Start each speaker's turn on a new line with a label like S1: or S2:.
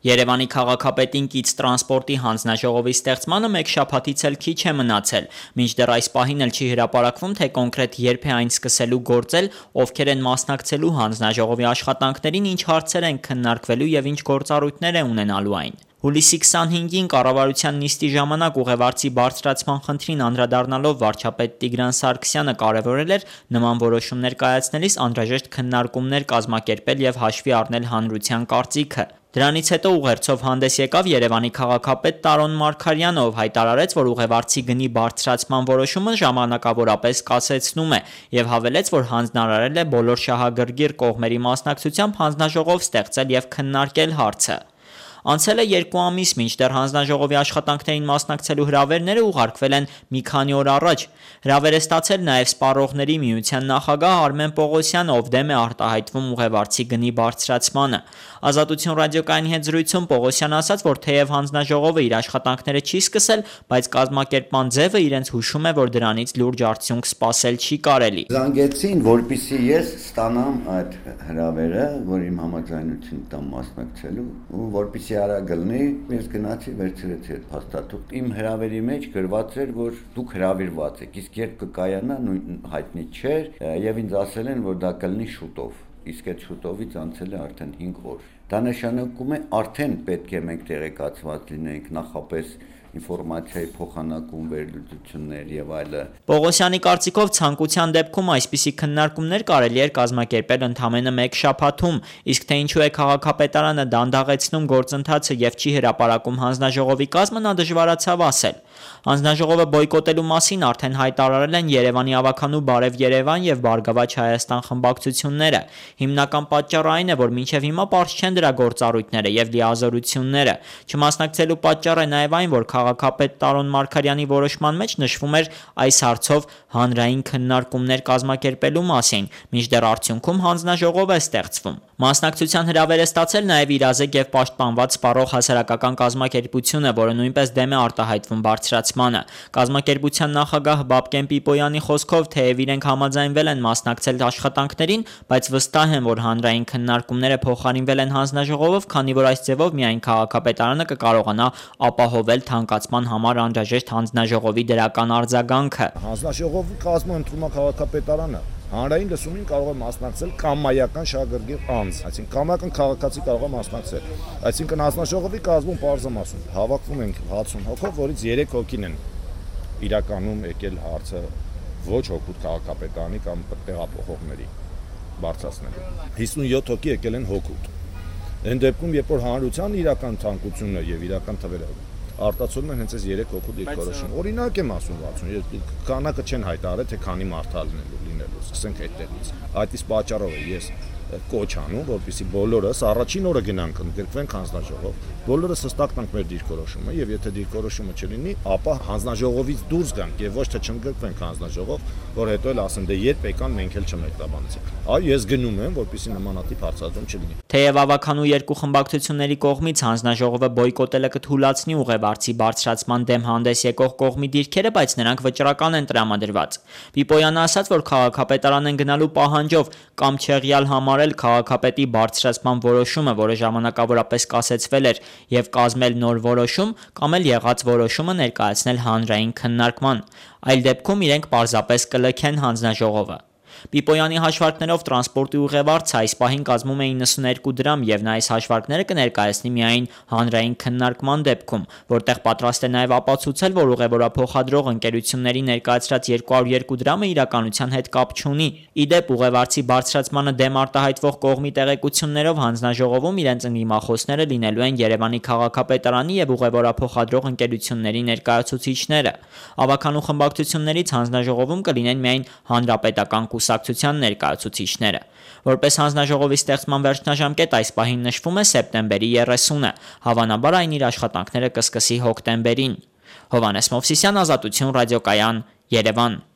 S1: Երևանի քաղաքապետին կից տրանսպորտի հանձնաժողովի ստեղծմանը մեկ շաբաթից էլ քիչ է մնացել, մինչդեռ այս պահին էլ չի հրապարակվում, թե կոնկրետ երբ է այն սկսելու գործել, ովքեր են մասնակցելու հանձնաժողովի աշխատանքներին, ինչ հարցեր են քննարկվելու եւ ինչ գործառույթներ է ունենալու այն։ Հուլիսի 25-ին կառավարության նիստի ժամանակ ուղևարցի բարձրացման խնդրին անդրադառնալով վարչապետ Տիգրան Սարգսյանը կարևորել էր նման որոշումներ կայացնելիս անհրաժեշտ քննարկումներ կազմակերպել եւ հաշվի առնել հանրության կարծիքը։ Դրանից հետո ուղերձով հանդես եկավ Երևանի քաղաքապետ Տարոն Մարգարյանը, ով հայտարարեց, որ ուղևարցի գնի բարձրացման որոշումը ժամանակավորապես կասեցնում է եւ հավելեց, որ հանձնարարել է բոլոր շահագրգիռ կողմերի մասնակցությամբ հանձնաժողով ստեղծել եւ քննարկել հարցը։ Անցել է 2 ամիս, մինչդեռ հանձնաժողովի աշխատանքներին մասնակցելու հրավերները ուղարկվել են մի քանի օր առաջ։ Հրավեր է ստացել նաև Սպառողների միության նախագահ Արմեն Պողոսյանը, ով դեմ է արտահայտվում ուղևարցի գնի բարձրացմանը։ Ազատություն ռադիոկայանի հետ զրույցում Պողոսյանը ասաց, որ թեև հանձնաժողովը իր աշխատանքները չի սկսել, բայց կազմակերպման ձևը իրենց հուշում է, որ դրանից լուրջ արդյունք սպասել չի կարելի։
S2: Զանգեցին, որպեսզի ես ստանամ այդ հրավերը, որ իմ համաձայնություն տամ մասնակցելու, ու որպեսզի արագ լինի, ես գնացի վերցրեցի այդ փաստաթուղթ։ Իմ հրավերի մեջ գրված էր, որ դուք հրավիրված եք, իսկ երբ կկայանա նույն հայտնի չէր, եւ ինձ ասել են, որ դա կլինի շուտով։ Իսկ այդ շուտովից անցել է արդեն 5 օր։ Դա նշանակում է արդեն պետք է մենք տեղեկացված լինենք նախապես ինֆորմացիայի փոխանակում, վերլուծություններ եւ այլը։
S1: Պողոսյանի կարծիքով ցանկության դեպքում այսպիսի քննարկումներ կարելի էր կազմակերպել ընդամենը 1 շաբաթում, իսկ թե ինչու է քաղաքապետարանը դանդաղեցնում գործընթացը եւ չի հրապարակում հանձնաժողովի կազմը, նա դժվարացավ ասել։ Հանձնաժողովը բոյկոտելու մասին արդեն հայտարարել են Երևանի ավականու Բարև Երևան եւ Բարգավաճ Հայաստան խմբակցությունները։ Հիմնական պատճառը այն է, որ մինչեւ հիմա պարզ չեն դրա գործառույթները եւ լիազորությունները։ Չմասնակցելու պատճառը նաեւ այն, որ քաղաքապետ Տարոն Մարգարյանի որոշման մեջ նշվում էր այս հարցով հանրային քննարկումներ կազմակերպելու մասին, մինչդեռ արդյունքում հանձնաժողով է ստեղծվում։ Մասնակցության հրավեր է ստացել նաև իրազեկ եւ պաշտպանված սպառող հասարակական կազմակերպությունը, որը նույնպես դեմ է արտահայտվում բարձրացմանը։ Կազմակերպության նախագահ Բաբկեն Պիպոյանի խոսքով, թեև իրենք համաձայնվել են մասնակցել աշխատանքներին, բայց վստահ են, որ հանրային քննարկումները փոխարինվել են հանձնաժողովով, քանի որ այս ձևով միայն քաղաքապետարանը կկարողանա ապահովել թանկացման համար անհրաժեշտ հանձնաժողովի դրական արձագանքը։
S3: Հանձնաժողովի կազմը ընդունում է քաղաքապետարանը։ Հանրային լսումին կարող է մասնակցել կամայական շահագրգիռ անձ, այսինքն կամայական քաղաքացի կարող է մասնակցել։ Այսինքն հանձնաժողովի կազմում պարզ եմ ասում, հավաքվում ենք 60 հոգով, որից 3 հոգին են իրականում եկել հարցը ոչ հոգուտ քաղաքապետարանի կամ տեղափոխողների բարձրացնելու։ 57 հոգի եկել են հոգուտ։ Այն դեպքում, երբ որ հանրության իրական ցանկությունը եւ իրական թվերը արտացոլում են հենց այս 3 հոգու դիրքորոշում։ Օրինակ եմ ասում 60, քանակը չեն հայտարարել, թե քանի մարդ լինելու, սկսենք այդտեղից։ Այդ իսկ պատճառով ես կոչ անում, որպեսզի բոլորս առաջին օրը գնանք ընդգրկվենք հանձնաժողով, բոլորս հստակ տանք մեր դիրքորոշումը եւ եթե դիրքորոշումը չլինի, ապա հանձնաժողովից դուրս գանք եւ ոչ թե չընդգրկվենք հանձնաժողով, որ հետո էլ ասեն դե երբ եկան մենք էլ չմեկտաբանեցինք։ Այո, ես գնում եմ, որպեսզի նմանատիպ հարցադրում չլինի։
S1: Թեև ավականու երկու խմբակցությունների կողմից հանձնաժողովը բոյկոտելը կթույլատնի ուղևարցի բարձրացման դեմ հանդես եկող կողմի դիրքերը, բայց նրանք վճռական են տրամադրված։ Պիպոյանը ասաց, որ քաղաքապետարան են գնալու պահանջով կամ չեղյալ համարել քաղաքապետի բարձրացման որոշումը, որը ժամանակավորապես կասեցվել էր, եւ կազմել նոր որոշում, կամ էլ եղած որոշումը ներկայացնել հանրային քննարկման։ Այլ դեպքում իրենք պարզապես կլքեն հանձնաժողովը։ Պիպոյանի հաշվարկներով տրանսպորտի ուղևարցը այս պահին կազմում է 92 դրամ եւ նա այս հաշվարկները կներկայացնի միայն հանրային քննարկման դեպքում, որտեղ պատրաստ է նաեւ ապացուցել, որ ուղևորափոխադրող ընկերությունների ներկայացրած 202 դրամը իրականության հետ կապ չունի։ Ի դեպ, ուղևարցի բարձրացմանը դեմ արտահայտվող կողմի տեղեկություններով հանձնաժողովում իրենց ընդդիմախոսները լինելու են Երևանի քաղաքապետարանի եւ ուղևորափոխադրող ընկերությունների ներկայացուցիչները։ Ավականու խմբակցություններից հանձնաժողովում կլինեն միայն հանրապետական կուսակցության ներկայացուցիչները։ Որպես հանձնաժողովի ստեղծման վերջնաժամկետ այս պահին նշվում է սեպտեմբերի 30-ը, հավանաբար այն իր աշխատանքները կսկսի հոկտեմբերին։ Հովհաննես Մովսիսյան, Ազատություն ռադիոկայան, Երևան։